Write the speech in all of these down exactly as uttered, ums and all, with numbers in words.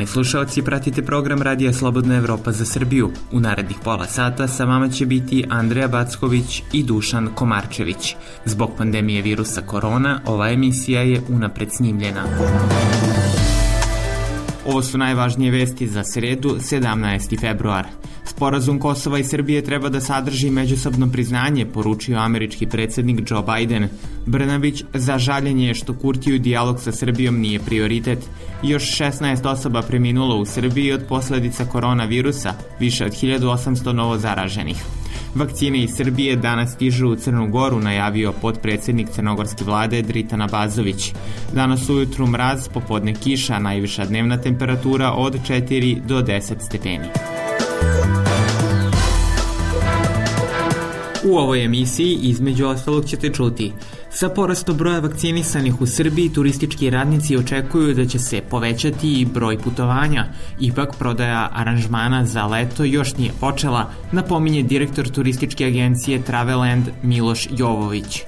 Poštovani slušalci, pratite program Radija Slobodna Evropa za Srbiju. U narednih pola sata sa vama će biti Andreja Backović i Dušan Komarčević. Zbog pandemije virusa korona, ova emisija je unapred snimljena. Ovo su najvažnije vesti za sredu, sedamnaesti februar. Sporazum Kosova i Srbije treba da sadrži međusobno priznanje, poručio američki predsjednik Joe Biden. Brnabić za žaljenje što Kurtiju dijalog sa Srbijom nije prioritet. Još šesnaest osoba preminulo u Srbiji od posljedica koronavirusa, više od hiljadu osamsto novo zaraženih. Vakcine iz Srbije danas stižu u Crnu Goru, najavio potpredsjednik crnogorske vlade Dritan Abazović. Danas ujutru mraz, popodne kiša, najviša dnevna temperatura od četiri do deset stepeni. U ovoj emisiji između ostalog ćete čuti: sa porastom broja vakcinisanih u Srbiji, turistički radnici očekuju da će se povećati i broj putovanja. Ipak prodaja aranžmana za leto još nije počela, napominje direktor turističke agencije Traveland Miloš Jovović.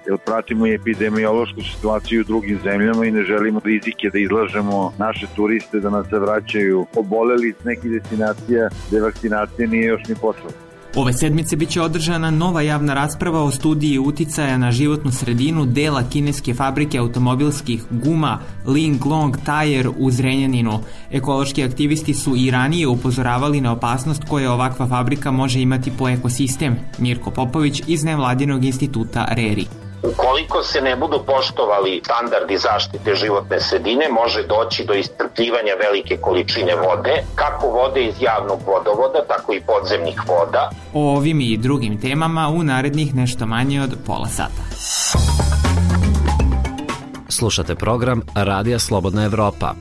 Jer pratimo i epidemiološku situaciju u drugim zemljama i ne želimo rizike da izlažemo naše turiste da nas se vraćaju oboleli s nekih destinacija gde vakcinacija nije još ni počela. Ove sedmice biće održana nova javna rasprava o studiji uticaja na životnu sredinu dela kineske fabrike automobilskih guma Linglong Tire u Zrenjaninu. Ekološki aktivisti su i ranije upozoravali na opasnost koje ovakva fabrika može imati po ekosistem. Mirko Popović iz nevladinog instituta RERI. Ukoliko se ne budu poštovali standardi zaštite životne sredine, može doći do iscrpljivanja velike količine vode, kako vode iz javnog vodovoda, tako i podzemnih voda. O ovim i drugim temama u narednih nešto manje od pola sata. Slušate program Radija Slobodna Evropa.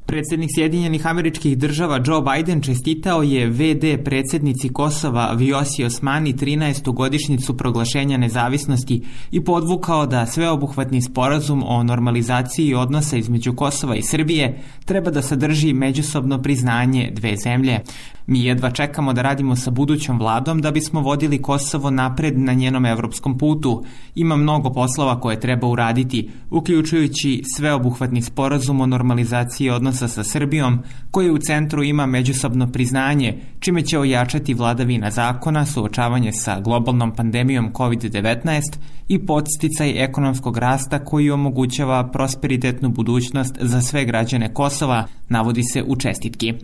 Predsjednik Sjedinjenih Američkih Država Joe Biden čestitao je ve de predsjednici Kosova Vjosi Osmani trinaestu godišnjicu proglašenja nezavisnosti i podvukao da sveobuhvatni sporazum o normalizaciji odnosa između Kosova i Srbije treba da sadrži međusobno priznanje dve zemlje. Mi jedva čekamo da radimo sa budućom vladom da bismo vodili Kosovo napred na njenom evropskom putu. Ima mnogo poslova koje treba uraditi, uključujući sveobuhvatni sporazum o normalizaciji odnosa sa Srbijom, koji u centru ima međusobno priznanje, čime će ojačati vladavina zakona, suočavanje sa globalnom pandemijom kovid devetnaest i podsticaj ekonomskog rasta koji omogućava prosperitetnu budućnost za sve građane Kosova, navodi se u čestitki.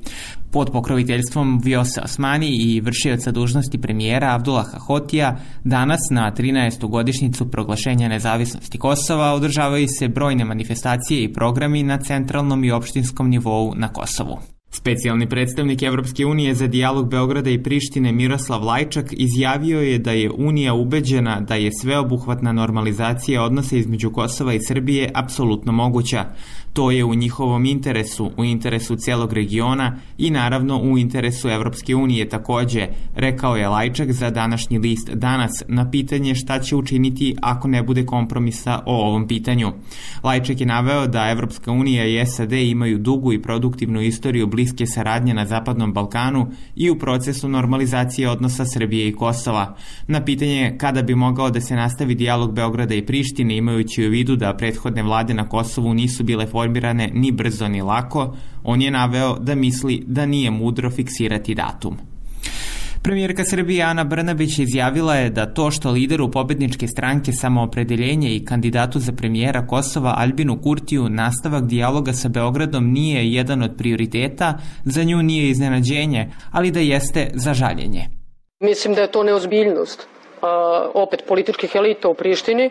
Pod pokroviteljstvom Vjose Osmani i vršioca dužnosti premijera Abdullaha Hotija, danas na trinaestu godišnjicu proglašenja nezavisnosti Kosova održavaju se brojne manifestacije i programi na centralnom i opštinskom nivou na Kosovu. Specijalni predstavnik Evropske unije za dijalog Beograda i Prištine Miroslav Lajčak izjavio je da je Unija ubeđena da je sveobuhvatna normalizacija odnosa između Kosova i Srbije apsolutno moguća. To je u njihovom interesu, u interesu celog regiona i naravno u interesu Evropske unije takođe, rekao je Lajčak za današnji list Danas na pitanje šta će učiniti ako ne bude kompromisa o ovom pitanju. Lajčak je naveo da Evropska unija i es a de imaju dugu i produktivnu istoriju bliske saradnje na Zapadnom Balkanu i u procesu normalizacije odnosa Srbije i Kosova. Na pitanje kada bi mogao da se nastavi dijalog Beograda i Prištine, imajući u vidu da prethodne vlade na Kosovu nisu bile formirane ni brzo ni lako, on je naveo da misli da nije mudro fiksirati datum. Premijerka Srbije Ana Brnabić izjavila je da to što lideru pobedničke stranke Samoopredeljenje i kandidatu za premijera Kosova Albinu Kurtiju nastavak dijaloga sa Beogradom nije jedan od prioriteta, za nju nije iznenađenje, ali da jeste za žaljenje. Mislim da je to neozbiljnost opet političkih elita u Prištini,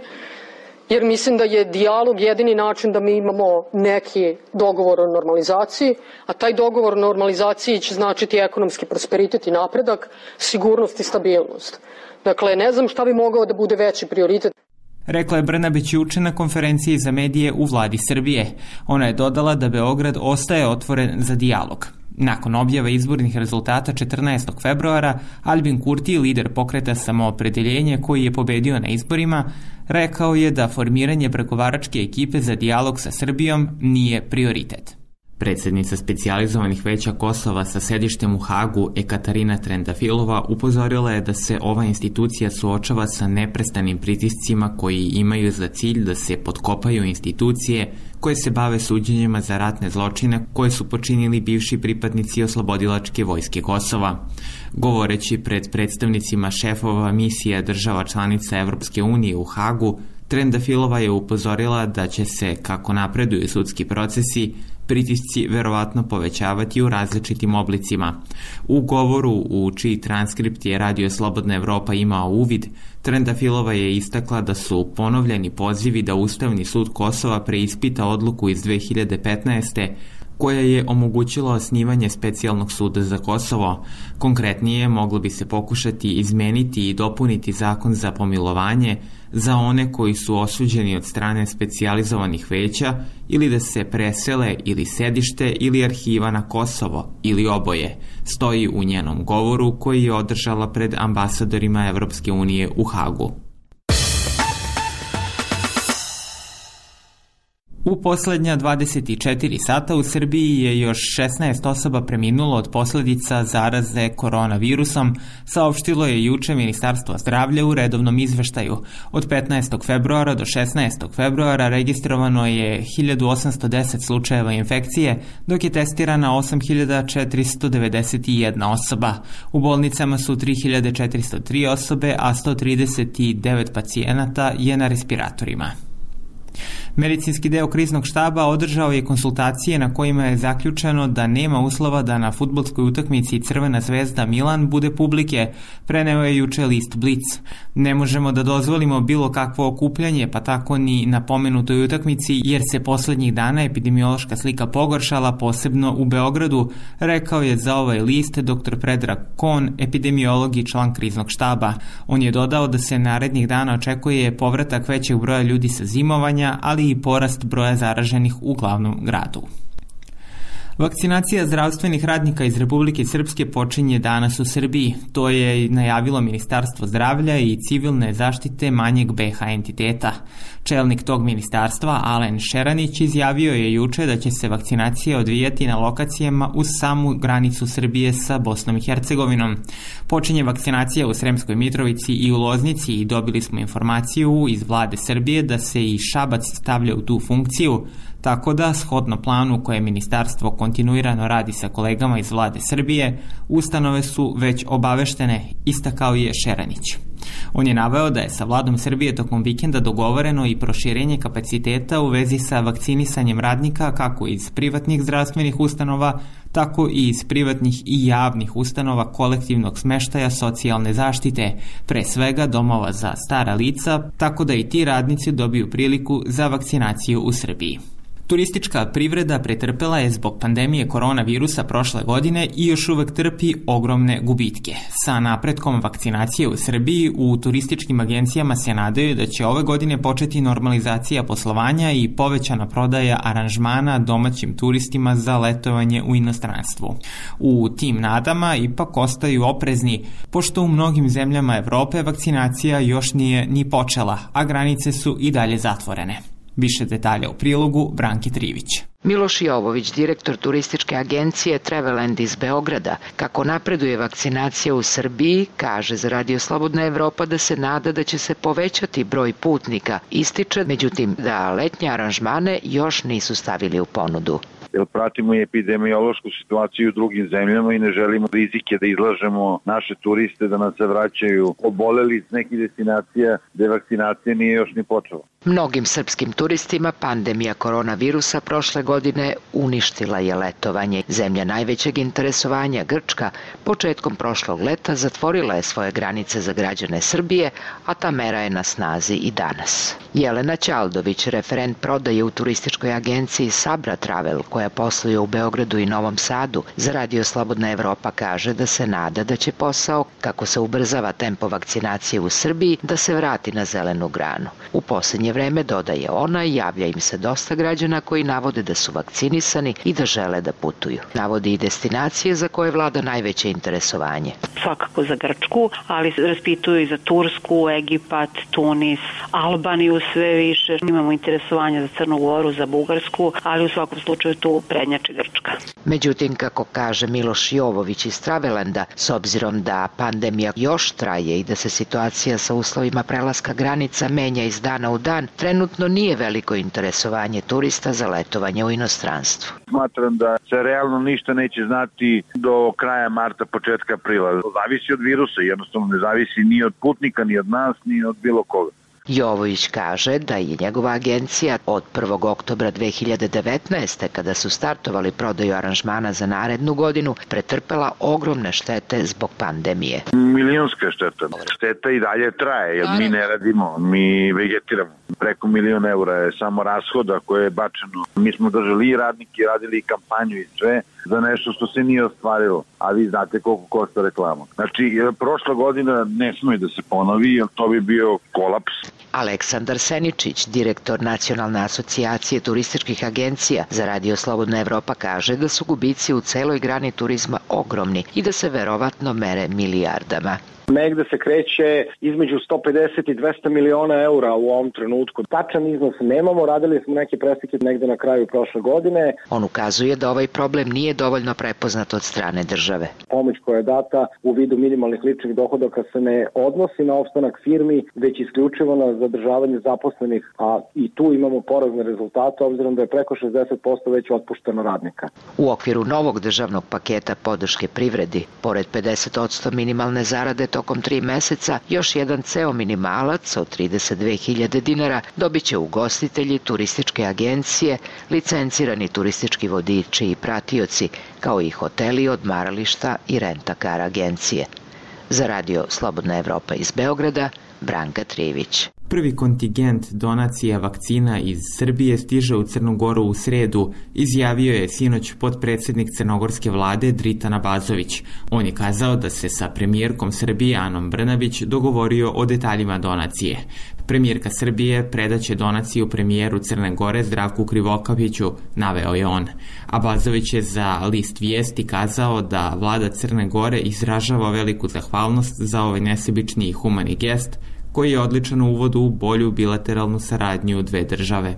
jer mislim da je dijalog jedini način da mi imamo neki dogovor o normalizaciji, a taj dogovor o normalizaciji će značiti ekonomski prosperitet i napredak, sigurnost i stabilnost. Dakle, ne znam šta bi mogao da bude veći prioritet. Rekla je Brnabić juče na konferenciji za medije u vladi Srbije. Ona je dodala da Beograd ostaje otvoren za dijalog. Nakon objave izbornih rezultata četrnaestog februara, Albin Kurti, lider pokreta Samoopredeljenje koji je pobedio na izborima, rekao je da formiranje pregovaračke ekipe za dijalog sa Srbijom nije prioritet. Predsednica specijalizovanih veća Kosova sa sedištem u Hagu, Ekaterina Trendafilova, upozorila je da se ova institucija suočava sa neprestanim pritiscima koji imaju za cilj da se potkopaju institucije koje se bave suđenjima za ratne zločine koje su počinili bivši pripadnici oslobodilačke vojske Kosova. Govoreći pred predstavnicima šefova misija država članica Evropske unije u Hagu, Trendafilova je upozorila da će se, kako napreduju sudski procesi, pritisci verovatno povećavati u različitim oblicima. U govoru, u čiji transkript je Radio Slobodna Evropa imao uvid, Trendafilova je istakla da su ponovljeni pozivi da Ustavni sud Kosova preispita odluku iz dve hiljade petnaeste. koja je omogućila osnivanje specijalnog suda za Kosovo. Konkretnije, moglo bi se pokušati izmeniti i dopuniti zakon za pomilovanje za one koji su osuđeni od strane specijalizovanih veća ili da se presele ili sedište ili arhiva na Kosovo ili oboje, stoji u njenom govoru koji je održala pred ambasadorima Evropske unije u Hagu. U poslednja dvadeset četiri sata u Srbiji je još šesnaest osoba preminulo od posledica zaraze koronavirusom, saopštilo je juče Ministarstvo zdravlja u redovnom izveštaju. Od petnaestog februara do šesnaestog februara registrovano je hiljadu osamsto deset slučajeva infekcije, dok je testirana osam hiljada četiristo devedeset jedna osoba. U bolnicama su tri hiljade četiristo tri osobe, a sto trideset devet pacijenata je na respiratorima. Medicinski deo kriznog štaba održao je konsultacije na kojima je zaključeno da nema uslova da na fudbalskoj utakmici Crvena zvezda Milan bude publike, preneo je juče list Blic. Ne možemo da dozvolimo bilo kakvo okupljanje, pa tako ni na pomenutoj utakmici, jer se poslednjih dana epidemiološka slika pogoršala, posebno u Beogradu, rekao je za ovaj list dr. Predrag Kon, epidemiolog i član kriznog štaba. On je dodao da se narednih dana očekuje povratak većeg broja ljudi sa zimovanja, ali i porast broja zaraženih u glavnom gradu. Vakcinacija zdravstvenih radnika iz Republike Srpske počinje danas u Srbiji. To je najavilo Ministarstvo zdravlja i civilne zaštite manjeg be ha entiteta. Čelnik tog ministarstva, Alen Šeranić, izjavio je juče da će se vakcinacija odvijati na lokacijama uz samu granicu Srbije sa Bosnom i Hercegovinom. Počinje vakcinacija u Sremskoj Mitrovici i u Loznici i dobili smo informaciju iz vlade Srbije da se i Šabac stavlja u tu funkciju, tako da, shodno planu koje ministarstvo kontinuirano radi sa kolegama iz vlade Srbije, ustanove su već obaveštene, istakao je Šeranić. On je naveo da je sa vladom Srbije tokom vikenda dogovoreno i proširenje kapaciteta u vezi sa vakcinisanjem radnika kako iz privatnih zdravstvenih ustanova, tako i iz privatnih i javnih ustanova kolektivnog smeštaja socijalne zaštite, pre svega domova za stara lica, tako da i ti radnici dobiju priliku za vakcinaciju u Srbiji. Turistička privreda pretrpela je zbog pandemije koronavirusa prošle godine i još uvek trpi ogromne gubitke. Sa napretkom vakcinacije u Srbiji, u turističkim agencijama se nadaju da će ove godine početi normalizacija poslovanja i povećana prodaja aranžmana domaćim turistima za letovanje u inostranstvu. U tim nadama ipak ostaju oprezni, pošto u mnogim zemljama Evrope vakcinacija još nije ni počela, a granice su i dalje zatvorene. Više detalja u prilogu Branki Trivić. Miloš Jovović, direktor turističke agencije Traveland iz Beograda, kako napreduje vakcinacija u Srbiji, kaže za Radio Slobodna Evropa da se nada da će se povećati broj putnika. Ističe, međutim, da letnje aranžmane još nisu stavili u ponudu. Jer pratimo i epidemiološku situaciju u drugim zemljama i ne želimo rizike da izlažemo naše turiste da nas se vraćaju oboleli iz nekih destinacija gde vakcinacija nije još ni počela. Mnogim srpskim turistima pandemija koronavirusa prošle godine uništila je letovanje. Zemlja najvećeg interesovanja, Grčka, početkom prošlog leta zatvorila je svoje granice za građane Srbije, a ta mera je na snazi i danas. Jelena Ćaldović, referent prodaje u turističkoj agenciji Sabra Travel, koja posluje u Beogradu i Novom Sadu, za Radio Slobodna Evropa kaže da se nada da će posao, kako se ubrzava tempo vakcinacije u Srbiji, da se vrati na zelenu granu. U poslednje posljednje vreme, dodaje ona, javlja im se dosta građana koji navode da su vakcinisani i da žele da putuju. Navodi i destinacije za koje vlada najveće interesovanje. Svakako za Grčku, ali raspituju i za Tursku, Egipat, Tunis, Albaniju sve više. Imamo interesovanje za Crnu Goru, za Bugarsku, ali u svakom slučaju tu prednjači Grčka. Međutim, kako kaže Miloš Jovović iz Travelanda, s obzirom da pandemija još traje i da se situacija sa uslovima prelaska granica menja iz dana u dan, trenutno nije veliko interesovanje turista za letovanje u inostranstvu. Smatram da se realno ništa neće znati do kraja marta, početka aprila. Zavisi od virusa, jednostavno ne zavisi ni od putnika, ni od nas, ni od bilo koga. Jovović kaže da je njegova agencija od prvog oktobra dve hiljade devetnaeste. kada su startovali prodaju aranžmana za narednu godinu, pretrpela ogromne štete zbog pandemije. Milionska šteta. Šteta i dalje traje, jer mi ne radimo, mi vegetiramo. Preko milion eura je samo rashoda koje je bačeno. Mi smo držali i radnike, radili i kampanju i sve za nešto što se nije ostvarilo, a vi znate koliko košta reklama. Znači, prošla godina ne smije da se ponovi, jer to bi bio kolaps. Aleksandar Seničić, direktor Nacionalne asocijacije turističkih agencija za Radio Slobodna Evropa, kaže da su gubici u celoj grani turizma ogromni i da se verovatno mere milijardama. Negde se kreće između sto pedeset i dvesta miliona eura u ovom trenutku. Tačan iznos nemamo, radili smo neke preslike negde na kraju prošle godine. On ukazuje da ovaj problem nije dovoljno prepoznat od strane države. Pomoć koja je data u vidu minimalnih ličnih dohodaka se ne odnosi na opstanak firmi, već isključivo na zadržavanje zaposlenih, a i tu imamo porazne rezultate, obzirom da je preko šezdeset posto već otpušteno radnika. U okviru novog državnog paketa podrške privredi, pored pedeset posto minimalne zarade tokom tri meseca, još jedan ceo minimalac od trideset dve hiljade dinara dobit će ugostitelji, turističke agencije, licencirani turistički vodiči i pratioci, kao i hoteli, odmarališta i rent-a-car agencije. Za Radio Slobodna Evropa iz Beograda, Branka Trivić. Prvi kontingent donacija vakcina iz Srbije stiže u Crnu Goru u sredu, izjavio je sinoć potpredsednik crnogorske vlade Dritan Abazović. On je kazao da se sa premijerkom Srbije Anom Brnabić dogovorio o detaljima donacije. Premijerka Srbije predaće donaciju premijeru Crne Gore Zdravku Krivokapiću, naveo je on. Abazović je za list Vijesti kazao da vlada Crne Gore izražava veliku zahvalnost za ovaj nesebični i humani gest, koji je odličan uvod u bolju bilateralnu saradnju dve države.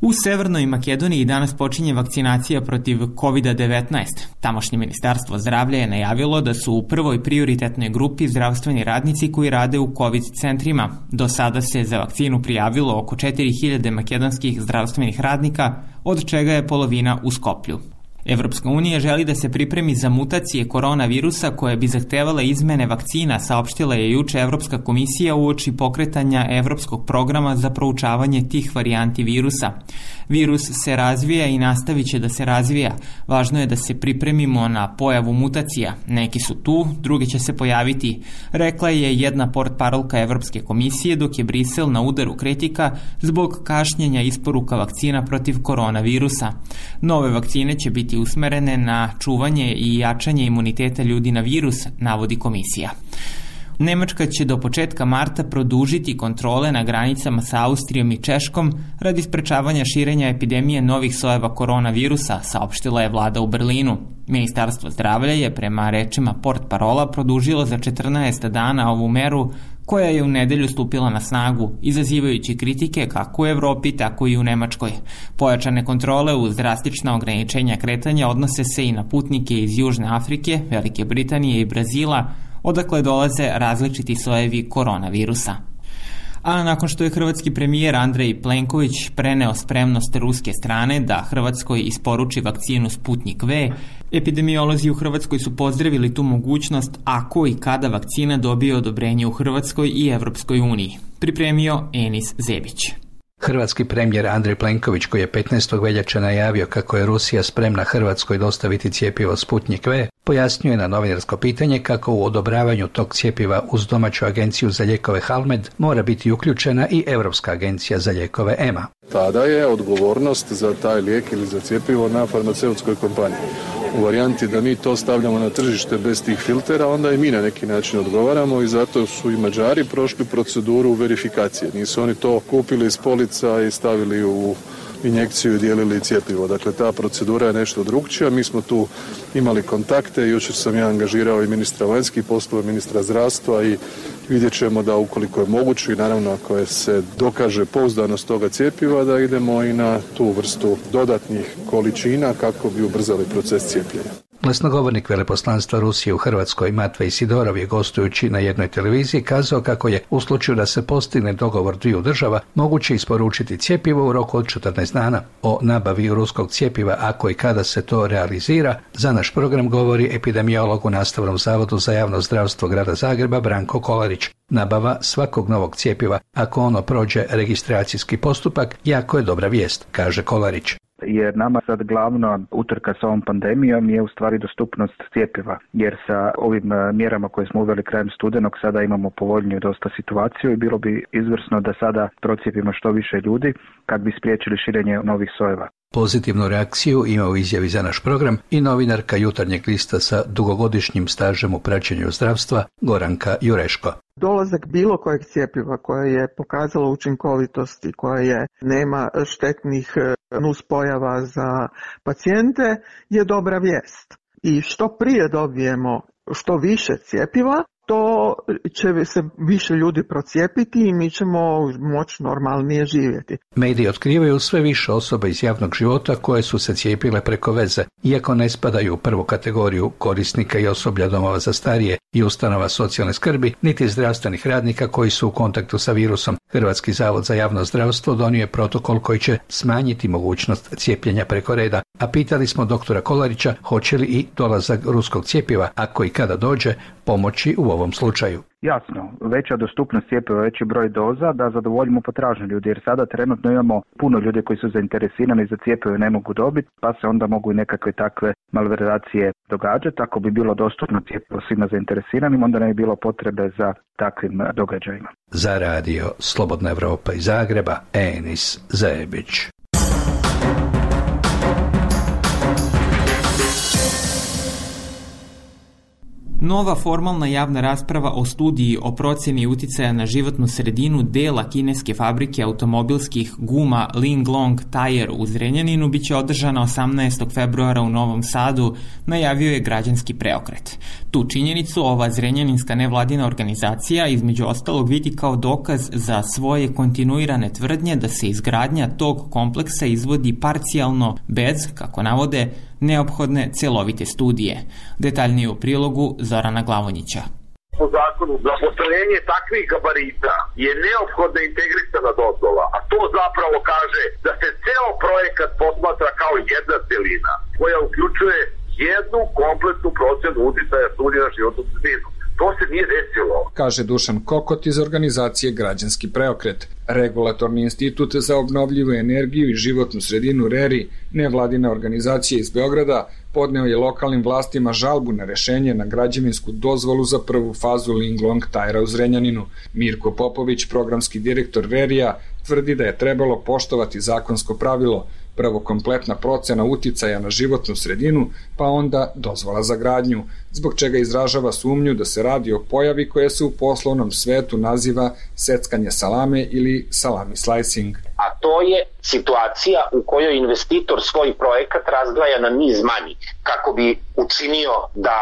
U Severnoj Makedoniji danas počinje vakcinacija protiv kovid devetnaest. Tamošnje ministarstvo zdravlja je najavilo da su u prvoj prioritetnoj grupi zdravstveni radnici koji rade u COVID centrima. Do sada se za vakcinu prijavilo oko četiri hiljade makedonskih zdravstvenih radnika, od čega je polovina u Skoplju. Evropska unija želi da se pripremi za mutacije koronavirusa koje bi zahtevala izmene vakcina, saopštila je juče Evropska komisija uoči pokretanja Evropskog programa za proučavanje tih varijanti virusa. Virus se razvija i nastavit će da se razvija. Važno je da se pripremimo na pojavu mutacija. Neki su tu, drugi će se pojaviti, rekla je jedna portparolka Evropske komisije, dok je Brisel na udaru kritika zbog kašnjenja isporuka vakcina protiv koronavirusa. Nove vakcine će biti usmerene na čuvanje i jačanje imuniteta ljudi na virus, navodi komisija. Nemačka će do početka marta produžiti kontrole na granicama sa Austrijom i Češkom radi sprečavanja širenja epidemije novih sojeva koronavirusa, saopštila je vlada u Berlinu. Ministarstvo zdravlja je prema rečima portparola produžilo za četrnaest dana ovu meru koja je u nedelju stupila na snagu, izazivajući kritike kako u Evropi, tako i u Nemačkoj. Pojačane kontrole uz drastična ograničenja kretanja odnose se i na putnike iz Južne Afrike, Velike Britanije i Brazila, odakle dolaze različiti sojevi koronavirusa. A nakon što je hrvatski premijer Andrej Plenković preneo spremnost ruske strane da Hrvatskoj isporuči vakcinu Sputnik V, epidemiolozi u Hrvatskoj su pozdravili tu mogućnost ako i kada vakcina dobije odobrenje u Hrvatskoj i Evropskoj uniji. Pripremio Enis Zebić. Hrvatski premijer Andrej Plenković, koji je petnaestog veljače najavio kako je Rusija spremna Hrvatskoj dostaviti cjepivo Sputnik V, pojasnio je na novinarsko pitanje kako u odobravanju tog cjepiva uz domaću agenciju za lijekove Halmed mora biti uključena i Europska agencija za lijekove E M A. Tada je odgovornost za taj lijek ili za cjepivo na farmaceutskoj kompaniji. u varijanti da mi to stavljamo na tržište bez tih filtera, onda i mi na neki način odgovaramo i zato su i Mađari prošli proceduru verifikacije. Nisu oni to kupili iz polica i stavili u injekciju i dijelili cjepivo. Dakle, ta procedura je nešto drugčija. Mi smo tu imali kontakte. Jučer sam ja angažirao i ministra vanjskih poslova, ministra zdravstva i vidjet ćemo da ukoliko je moguće i naravno ako je se dokaže pouzdanost toga cjepiva da idemo i na tu vrstu dodatnih količina kako bi ubrzali proces cijepljenja. Glasnogovornik veleposlanstva Rusije u Hrvatskoj Matvej Sidorov je gostujući na jednoj televiziji kazao kako je u slučaju da se postigne dogovor dviju država moguće isporučiti cjepivo u roku od četrnaest dana. O nabavi ruskog cjepiva ako i kada se to realizira, za naš program govori epidemiolog u Nastavnom zavodu za javno zdravstvo grada Zagreba Branko Kolarić. Nabava svakog novog cjepiva, ako ono prođe registracijski postupak, jako je dobra vijest, kaže Kolarić. Jer nama sad glavna utrka sa ovom pandemijom je u stvari dostupnost cjepiva, jer sa ovim mjerama koje smo uveli krajem studenog sada imamo povoljniju dosta situaciju i bilo bi izvrsno da sada procijepimo što više ljudi kad bi spriječili širenje novih sojeva. Pozitivnu reakciju ima u izjavi za naš program i novinarka Jutarnjeg lista sa dugogodišnjim stažem u praćenju zdravstva Goranka Jureško. Dolazak bilo kojeg cjepiva koje je pokazalo učinkovitost i koje nema štetnih nuspojava za pacijente je dobra vijest. I što prije dobijemo što više cjepiva, to će se više ljudi procijepiti i mi ćemo moći normalnije živjeti. Mediji otkrivaju sve više osoba iz javnog života koje su se cijepile preko veze, iako ne spadaju u prvu kategoriju korisnika i osoblja domova za starije i ustanova socijalne skrbi, niti zdravstvenih radnika koji su u kontaktu sa virusom. Hrvatski zavod za javno zdravstvo donio je protokol koji će smanjiti mogućnost cijepljenja preko reda, a pitali smo doktora Kolarića hoće li i dolazak ruskog cjepiva, ako i kada dođe, pomoći u ovom slučaju. Jasno, veća dostupnost cjepiva, veći broj doza da zadovoljimo potražnju ljudi, jer sada trenutno imamo puno ljudi koji su zainteresirani za cjepivo i ne mogu dobiti, pa se onda mogu i nekakve takve malverzacije događati. Ako bi bilo dostupno cjepivo svima zainteresiranim, onda ne bi bilo potrebe za takvim događajima. Za radio Slobodna Evropa iz Zagreba, Enis Zebić. Nova formalna javna rasprava o studiji o procjeni uticaja na životnu sredinu dela kineske fabrike automobilskih guma Linglong Tire u Zrenjaninu biće održana osamnaestog februara u Novom Sadu, najavio je Građanski preokret. Tu činjenicu ova zrenjaninska nevladina organizacija između ostalog vidi kao dokaz za svoje kontinuirane tvrdnje da se izgradnja tog kompleksa izvodi parcijalno bez, kako navode, neophodne celovite studije. Detaljnije u prilogu Zorana Glavonjića. Po zakonu za postrojenje takvih gabarita je neophodna integrisana dozvola, a to zapravo kaže da se ceo projekat posmatra kao jedna celina koja uključuje jednu kompletnu procenu uticaja studije na životnu sredinu. To se nije desilo, kaže Dušan Kokot iz organizacije Građanski preokret. Regulatorni institut za obnovljivu energiju i životnu sredinu RERI, nevladina organizacija iz Beograda, podneo je lokalnim vlastima žalbu na rešenje na građevinsku dozvolu za prvu fazu Linglong Tire u Zrenjaninu. Mirko Popović, programski direktor RERI-a, tvrdi da je trebalo poštovati zakonsko pravilo, prvo kompletna procena uticaja na životnu sredinu, pa onda dozvola za gradnju, zbog čega izražava sumnju da se radi o pojavi koja se u poslovnom svetu naziva seckanje salame ili salami slicing. A to je situacija u kojoj investitor svoj projekat razdvaja na niz manjih, kako bi učinio da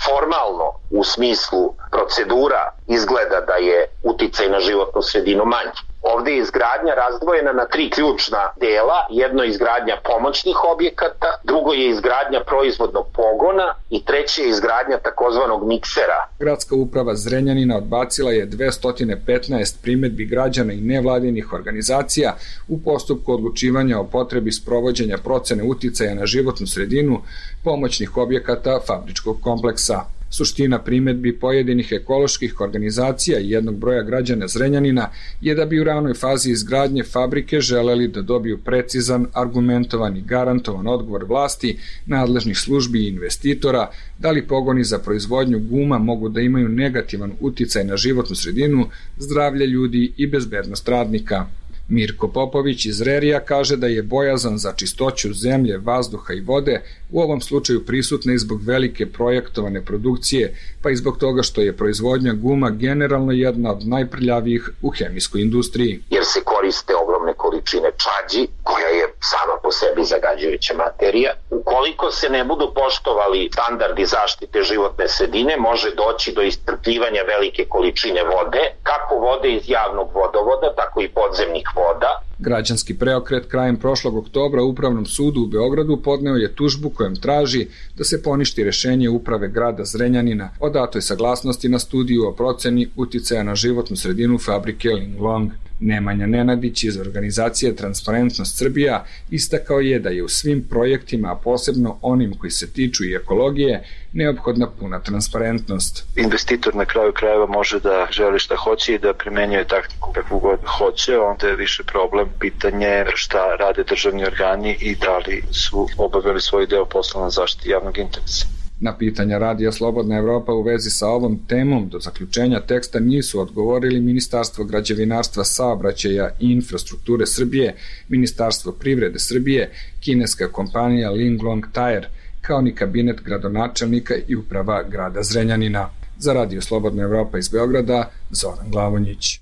formalno u smislu procedura izgleda da je uticaj na životnu sredinu manji. Ovde je izgradnja razdvojena na tri ključna dela. Jedno je izgradnja pomoćnih objekata, drugo je izgradnja proizvodnog pogona i treće je izgradnja takozvanog miksera. Gradska uprava Zrenjanina odbacila je dvesta petnaest primedbi građana i nevladinih organizacija u postupku odlučivanja o potrebi sprovođenja procene uticaja na životnu sredinu pomoćnih objekata fabričkog kompleksa. Suština primedbi pojedinih ekoloških organizacija i jednog broja građana Zrenjanina je da bi u ranoj fazi izgradnje fabrike želeli da dobiju precizan, argumentovan i garantovan odgovor vlasti, nadležnih službi i investitora, da li pogoni za proizvodnju guma mogu da imaju negativan uticaj na životnu sredinu, zdravlje ljudi i bezbednost radnika. Mirko Popović iz Rerija kaže da je bojazan za čistoću zemlje, vazduha i vode u ovom slučaju prisutna i zbog velike projektovane produkcije, pa i zbog toga što je proizvodnja guma generalno jedna od najprljavijih u hemijskoj industriji. Jer se koriste ogromne količine čađi, koja je sama po sebi zagađujuća materija. Ukoliko se ne budu poštovali standardi zaštite životne sredine, može doći do iscrpljivanja velike količine vode, kako vode iz javnog vodovoda, tako i podzemnih voda. Građanski preokret krajem prošlog oktobra Upravnom sudu u Beogradu podneo je tužbu kojom traži da se poništi rešenje uprave grada Zrenjanina o datoj saglasnosti na studiju o proceni uticaja na životnu sredinu fabrike Linglong. Nemanja Nenadić iz organizacije Transparentnost Srbija istakao je da je u svim projektima, a posebno onim koji se tiču i ekologije, neophodna puna transparentnost. Investitor na kraju krajeva može da želi šta hoće i da primenjuje taktiku kakvu god hoće, onda je više problem pitanje šta rade državni organi i da li su obavili svoj deo posla na zaštiti javnog interesa. Na pitanja Radija Slobodna Evropa u vezi sa ovom temom do zaključenja teksta nisu odgovorili Ministarstvo građevinarstva, saobraćaja i infrastrukture Srbije, Ministarstvo privrede Srbije, kineska kompanija Linglong Tire, kao ni kabinet gradonačelnika i uprava grada Zrenjanina. Za Radio Slobodna Evropa iz Beograda, Zoran Glavonjić.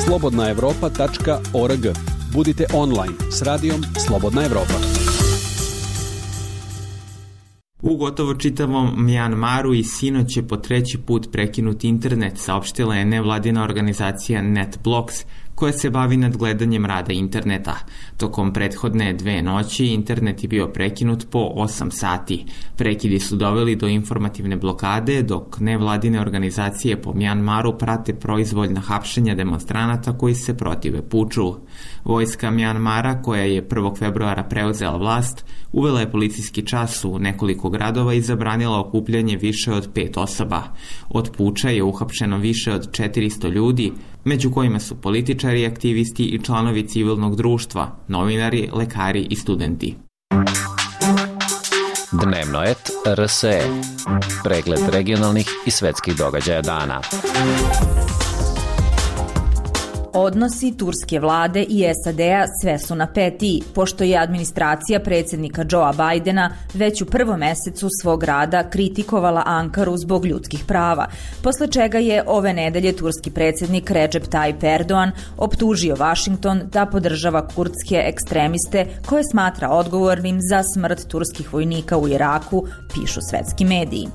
slobodna evropa tačka org. Budite online s Radijom Slobodna Evropa. U gotovo čitavom Mjanmaru i sinoć je po treći put prekinut internet, saopštila je nevladina organizacija NetBlocks, koja se bavi nadgledanjem rada interneta. Tokom prethodne dve noći internet je bio prekinut po osam sati. Prekidi su doveli do informativne blokade, dok nevladine organizacije po Mjanmaru prate proizvoljna hapšenja demonstranata koji se protive puču. Vojska Mjanmara, koja je prvog februara preuzela vlast, uvela je policijski čas u nekoliko gradova i zabranila okupljanje više od pet osoba. Od puča je uhapšeno više od četiristo ljudi, među kojima su političari, aktivisti i članovi civilnog društva, novinari, lekari i studenti. Dnevnoet R S E. Pregled regionalnih i svetskih događaja dana. Odnosi turske vlade i S A D-a sve su napetiji, pošto je administracija predsjednika Joea Bidena već u prvom mesecu svog rada kritikovala Ankaru zbog ljudskih prava, posle čega je ove nedelje turski predsjednik Recep Tayyip Erdogan optužio Vašington da podržava kurdske ekstremiste koje smatra odgovornim za smrt turskih vojnika u Iraku, pišu svetski mediji.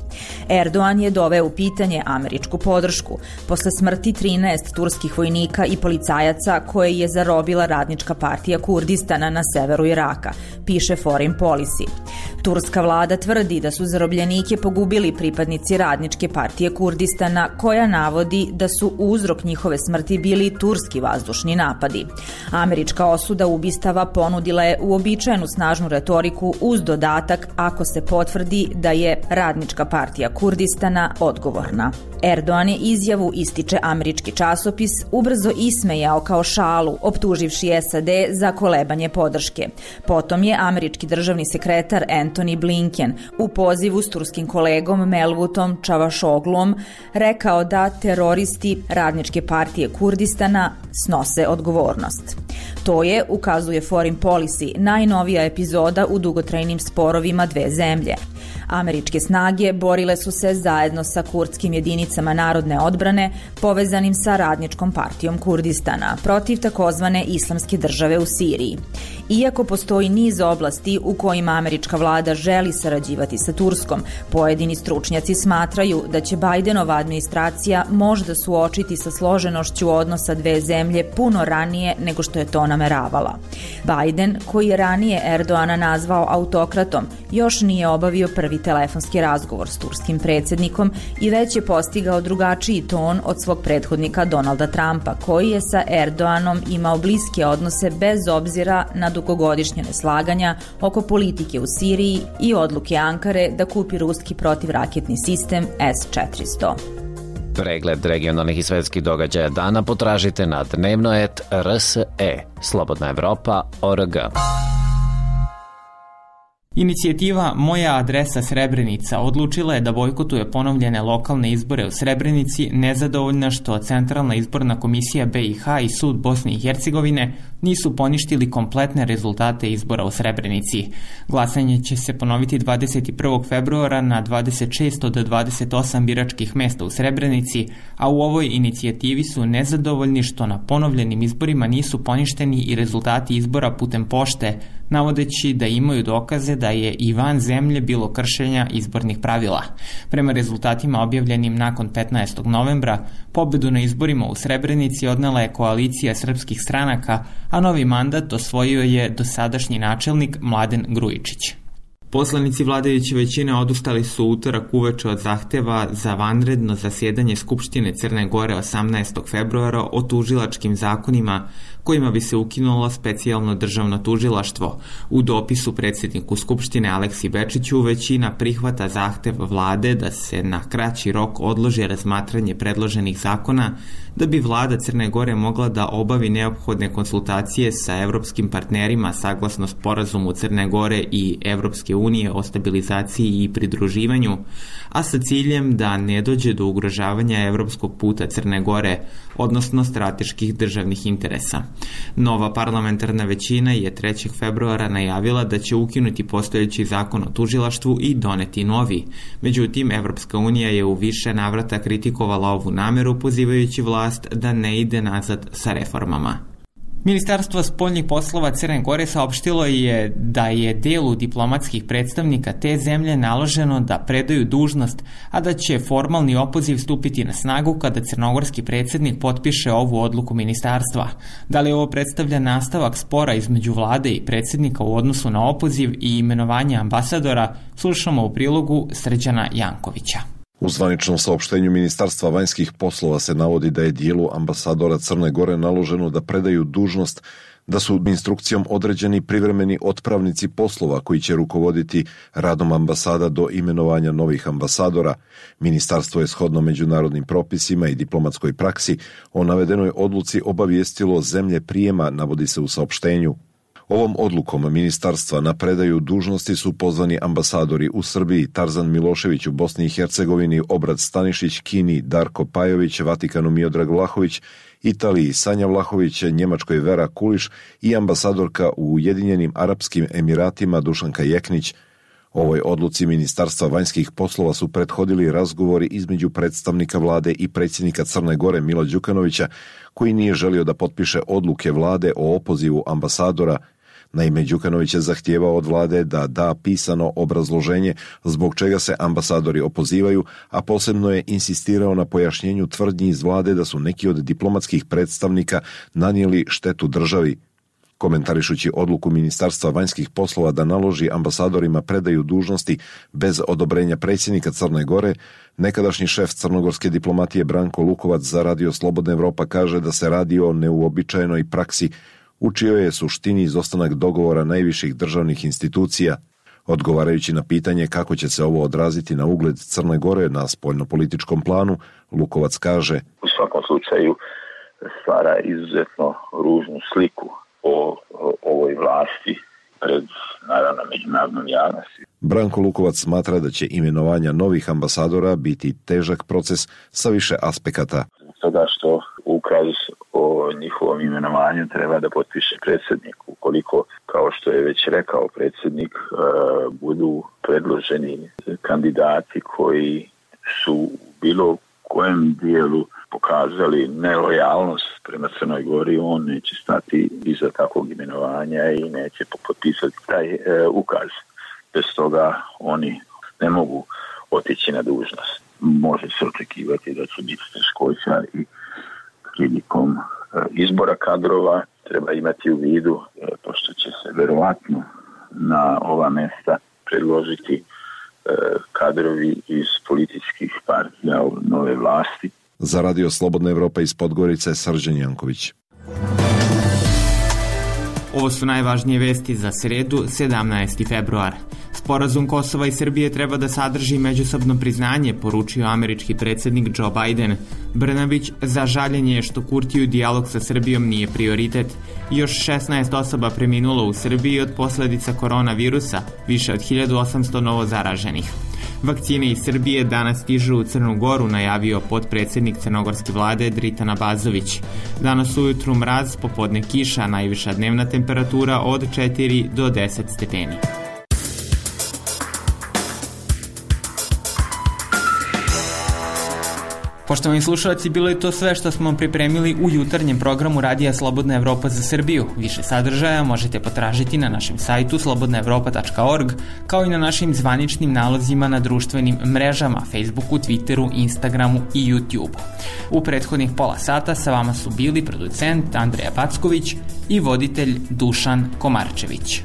Erdogan je doveo u pitanje američku podršku posle smrti trinaest turskih vojnika i policajaca koje je zarobila Radnička partija Kurdistana na severu Iraka, piše Foreign Policy. Turska vlada tvrdi da su zarobljenike pogubili pripadnici Radničke partije Kurdistana, koja navodi da su uzrok njihove smrti bili turski vazdušni napadi. Američka osuda ubistava ponudila je uobičajenu snažnu retoriku uz dodatak ako se potvrdi da je Radnička partija Kurdistana odgovorna. Erdogan je izjavu, ističe američki časopis, ubrzo ismejao kao šalu, optuživši S A D za kolebanje podrške. Potom je američki državni sekretar Antony Blinken u pozivu s turskim kolegom Mevlutom Čavašoglom rekao da teroristi Radničke partije Kurdistana snose odgovornost. To je, ukazuje Foreign Policy, najnovija epizoda u dugotrajnim sporovima dve zemlje. Američke snage borile su se zajedno sa kurdskim jedinicama narodne odbrane povezanim sa Radničkom partijom Kurdistana protiv takozvane islamske države u Siriji. Iako postoji niz oblasti u kojima američka vlada želi sarađivati sa Turskom, pojedini stručnjaci smatraju da će Bidenova administracija možda suočiti sa složenošću odnosa dve zemlje puno ranije nego što je to nameravala. Biden, koji je ranije Erdoana nazvao autokratom, još nije obavio prvi telefonski razgovor s turskim predsjednikom i već je postigao drugačiji ton od svog prethodnika Donalda Trumpa, koji je sa Erdoanom imao bliske odnose bez obzira na dugogodišnje neslaganja oko politike u Siriji i odluke Ankare da kupi ruski protivraketni sistem S četiristo. Pregled regionalnih i svetskih događaja dana potražite na dnevnoet R S E, slobodna evropa tačka org. Inicijativa Moja adresa Srebrenica odlučila je da bojkotuje ponovljene lokalne izbore u Srebrenici, nezadovoljna što Centralna izborna komisija B i H i Sud Bosne i Hercegovine nisu poništili kompletne rezultate izbora u Srebrenici. Glasanje će se ponoviti dvadeset prvog februara na dvadeset šest od dvadeset osam biračkih mesta u Srebrenici, a u ovoj inicijativi su nezadovoljni što na ponovljenim izborima nisu poništeni i rezultati izbora putem pošte, navodeći da imaju dokaze da je i van zemlje bilo kršenja izbornih pravila. Prema rezultatima objavljenim nakon petnaestog novembra, pobedu na izborima u Srebrenici odnela je koalicija srpskih stranaka, a novi mandat osvojio je dosadašnji načelnik Mladen Grujičić. Poslanici vladajuće većine odustali su utorak uveče od zahteva za vanredno zasjedanje Skupštine Crne Gore osamnaestog februara o tužilačkim zakonima kojima bi se ukinulo specijalno državno tužilaštvo. U dopisu predsjedniku Skupštine Aleksi Bečiću većina prihvata zahtev vlade da se na kraći rok odloži razmatranje predloženih zakona da bi vlada Crne Gore mogla da obavi neophodne konsultacije sa evropskim partnerima saglasno sporazumu Crne Gore i Evropske unije o stabilizaciji i pridruživanju, a sa ciljem da ne dođe do ugrožavanja evropskog puta Crne Gore, odnosno strateških državnih interesa. Nova parlamentarna većina je trećeg februara najavila da će ukinuti postojeći zakon o tužilaštvu i doneti novi. Međutim, Evropska unija je u više navrata kritikovala ovu nameru, pozivajući vlast da ne ide nazad sa reformama. Ministarstvo spoljnih poslova Crne Gore saopštilo je da je delu diplomatskih predstavnika te zemlje naloženo da predaju dužnost, a da će formalni opoziv stupiti na snagu kada crnogorski predsjednik potpiše ovu odluku ministarstva. Da li ovo predstavlja nastavak spora između vlade i predsjednika u odnosu na opoziv i imenovanje ambasadora, slušamo u prilogu Srđana Jankovića. U zvaničnom saopštenju Ministarstva vanjskih poslova se navodi da je dijelu ambasadora Crne Gore naloženo da predaju dužnost, da su instrukcijom određeni privremeni otpravnici poslova koji će rukovoditi radom ambasada do imenovanja novih ambasadora. Ministarstvo je shodno međunarodnim propisima i diplomatskoj praksi o navedenoj odluci obavijestilo zemlje prijema, navodi se u saopštenju. Ovom odlukom ministarstva na predaju dužnosti su pozvani ambasadori u Srbiji Tarzan Milošević, u Bosni i Hercegovini Obrad Stanišić, Kini Darko Pajović, Vatikanu Miodrag Vlahović, Italiji Sanja Vlahović, Njemačkoj Vera Kuliš i ambasadorka u Ujedinjenim Arapskim Emiratima Dušanka Jeknić. Ovoj odluci Ministarstva vanjskih poslova su prethodili razgovori između predstavnika vlade i predsjednika Crne Gore Mila Đukanovića, koji nije želio da potpiše odluke vlade o opozivu ambasadora. Naime, Đukanović je zahtijevao od vlade da da pisano obrazloženje zbog čega se ambasadori opozivaju, a posebno je insistirao na pojašnjenju tvrdnji iz vlade da su neki od diplomatskih predstavnika nanijeli štetu državi. Komentarišući odluku Ministarstva vanjskih poslova da naloži ambasadorima predaju dužnosti bez odobrenja predsjednika Crne Gore, nekadašnji šef crnogorske diplomatije Branko Lukovac za Radio Slobodna Evropa kaže da se radi o neuobičajenoj praksi u čijoj je suštini izostanak dogovora najviših državnih institucija. Odgovarajući na pitanje kako će se ovo odraziti na ugled Crne Gore na spoljnopolitičkom planu, Lukovac kaže: U svakom slučaju stvara izuzetno ružnu sliku o, o ovoj vlasti pred, naravno, međunarodnom javnosti. Branko Lukovac smatra da će imenovanja novih ambasadora biti težak proces sa više aspekata. Toga što ukaz o njihovom imenovanju treba da potpiše predsjednik. Ukoliko, kao što je već rekao predsjednik, budu predloženi kandidati koji su u bilo kojem dijelu pokazali nelojalnost prema Crnoj Gori, on neće stati iza takvog imenovanja i neće potpisati taj e, ukaz. Bez toga oni ne mogu otići na dužnost. Može se očekivati da će biti teškoća i prilikom e, izbora kadrova. Treba imati u vidu, e, pošto će se verovatno na ova mesta predložiti e, kadrovi iz političkih partija nove vlasti. Za Radio Slobodna Evropa iz Podgorice, Srđan Janković. Ovo su najvažnije vesti za sredu, sedamnaesti februar. Sporazum Kosova i Srbije treba da sadrži međusobno priznanje, poručio američki predsjednik Joe Biden. Brnabić za žaljenje što Kurtiju dijalog sa Srbijom nije prioritet. Još šesnaest osoba preminulo u Srbiji od posljedica koronavirusa, više od hiljadu osamsto novo zaraženih. Vakcine iz Srbije danas stižu u Crnu Goru, najavio potpredsjednik crnogorske vlade Dritan Abazović. Danas ujutru mraz, popodne kiša, najviša dnevna temperatura od četiri do deset stepeni. Poštovani slušalci, bilo je to sve što smo pripremili u jutarnjem programu Radija Slobodna Evropa za Srbiju. Više sadržaja možete potražiti na našem sajtu slobodna evropa tačka org, kao i na našim zvaničnim nalozima na društvenim mrežama, Facebooku, Twitteru, Instagramu i YouTubeu. U prethodnih pola sata sa vama su bili producent Andreja Packović i voditelj Dušan Komarčević.